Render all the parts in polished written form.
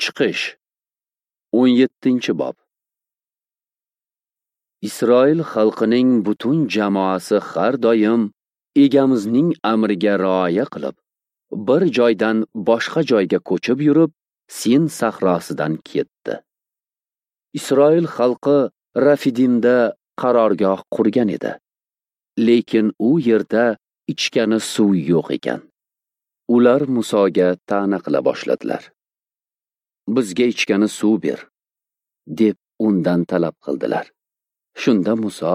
Chiqish 17-bob. Isroil xalqining butun jamoasi har doim Egamizning amriga rioya qilib, bir joydan boshqa joyga ko'chib yurib, Sin sahrosidan ketdi. Isroil xalqi Rafidimda qarorgoh qurgan edi. Lekin u yerda ichgani suv yo'q ekan. Ular Musoga ta'na qila boshladilar. Bizga ichgani suv ber, deb undan talab qildilar. Shunda Muso,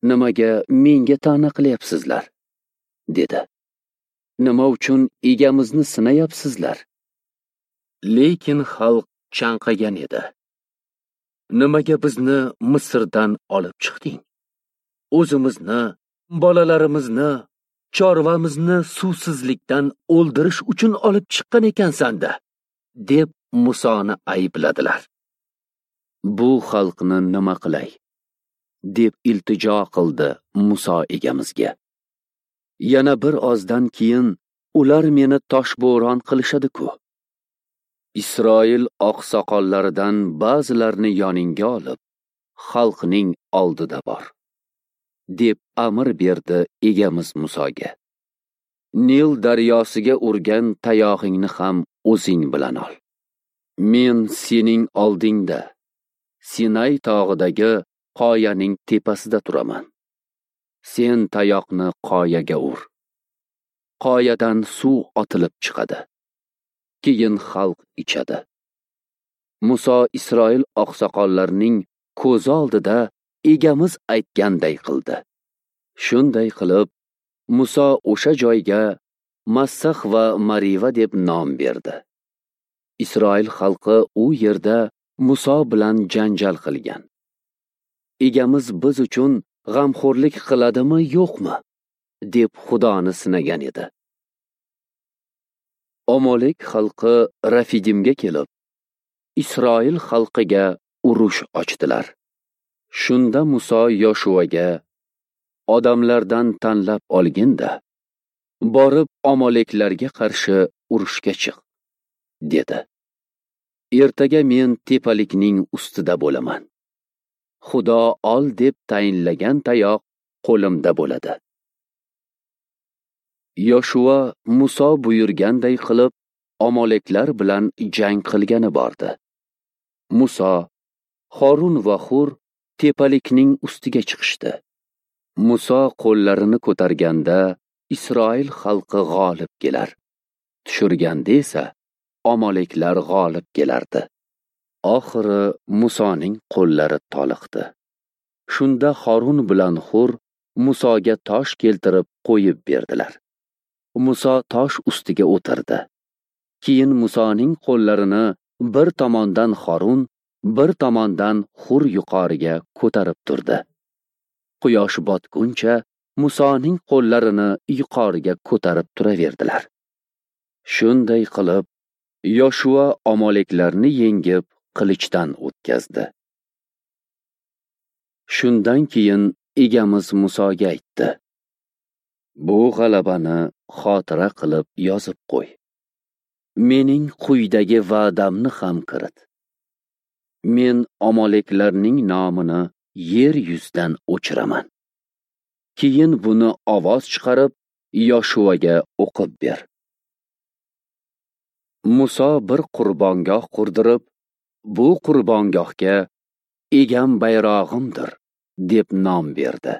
nimaga menga ta'na qilyapsizlar, dedi. Nima uchun Egamizni sinayapsizlar? Lekin xalq chanqagan edi. Nimaga bizni Misrdan olib chiqding? O'zimizni, bolalarimizni, chorvamizni suvsizlikdan o'ldirish uchun olib chiqqan ekansan-da, deb Musoni aybladilar. Bu xalqni nima qilay, deb iltijo qildi Muso Egamizga. Yana bir ozdan keyin ular meni toshbo'ron qilishadi-ku. Isroil oqsoqollaridan ba'zilarini yoningga olib, xalqning oldida bor, deb amr berdi Egamiz Musoga. Nil daryosiga urgan tayog'ingni ham o'zing bilan ol. Men sening oldingda Sinay tog'idagi qoyaning tepasida turaman. Sen tayoqni qoyaga ur. Qoyadan suv otilib chiqadi. Keyin xalq ichadi. Muso Isroil oqsoqollarining ko'zi oldida Egamiz aytganday qildi. Shunday qilib, Muso o'sha joyga Massax va Mariva deb nom berdi. Isroil xalqi u yerda Muso bilan janjal qilgan. Egamiz biz uchun g'amxo'rlik qiladimi, yo'qmi, deb Xudoni sinagan edi. Amalek xalqi Rafidimga kelib, Isroil xalqiga urush ochdilar. Shunda Muso Yoshuaga, odamlardan tanlab olgin-da, borib Amaleklarga qarshi urushga chiq, dedi. Ertaga men tepalikning ustida bo'laman. Xudo ol deb tayinlagan tayoq qo'limda bo'ladi. Yoshua Muso buyurganday qilib Amaleklar bilan jang qilgani bordi. Muso, Harun va Hur tepalikning ustiga chiqishdi. Muso qo'llarini ko'targanda Isroil xalqi g'olib kelar. Tushirganda esa Amaleklar g'olib kelardi. Oxiri Musoning qo'llari toliqdi. Shunda Harun bilan Hur Musoga tosh keltirib qo'yib berdilar. Muso tosh ustiga o'tirdi. Keyin Musoning qo'llarini bir tomondan Harun, bir tomondan Hur yuqoriga ko'tarib turdi. Quyosh botguncha Musoning qo'llarini yuqoriga ko'tarib turaverdilar. Shunday qilib, Yoshua Amaleklarni yengib qilichdan o'tkazdi. Shundan keyin Egamiz Musoga aytdi: Bu g'alabani xotira qilib yozib qo'y. Mening quyidagi va'damni ham kirit. Men Amaleklarning nomini yer yuzidan o'chiraman. Keyin buni ovoz chiqarib Yoshuaga o'qib ber. Muso bir qurbongoh qurdirib, bu qurbongohga Egam bayrog'imdir deb nom berdi.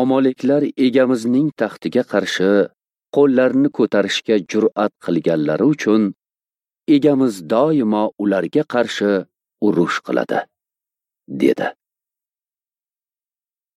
Amaleklar Egamizning taxtiga qarshi qo'llarini ko'tarishga jur'at qilganlari uchun Egamiz doimo ularga qarshi urush qiladi, dedi.